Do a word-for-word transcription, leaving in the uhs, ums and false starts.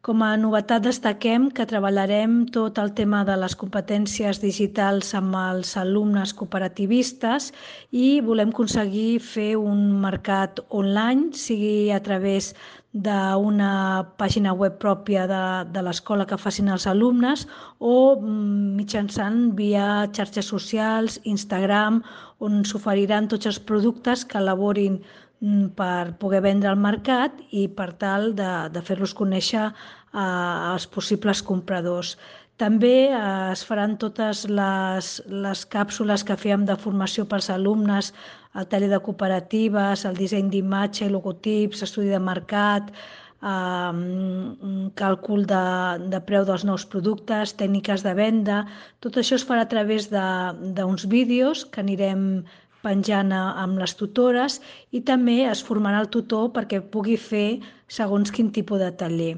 Com a novetat destaquem que treballarem tot el tema de les competències digitals amb els alumnes cooperativistes i volem aconseguir fer un mercat online, sigui a través d'una pàgina web pròpia de, de l'escola que facin els alumnes o mitjançant via xarxes socials, Instagram, on s'oferiran tots els productes que elaborin per poder vendre al mercat i per tal de, de fer-los conèixer als possibles compradors. També es faran totes les, les càpsules que fèiem de formació pels alumnes, el taller de cooperatives, el disseny d'imatge i logotips, estudi de mercat, eh, càlcul de, de preu dels nous productes, tècniques de venda. Tot això es farà a través d'uns vídeos que anirem penjant amb les tutores i també es formarà el tutor perquè pugui fer segons quin tipus de taller.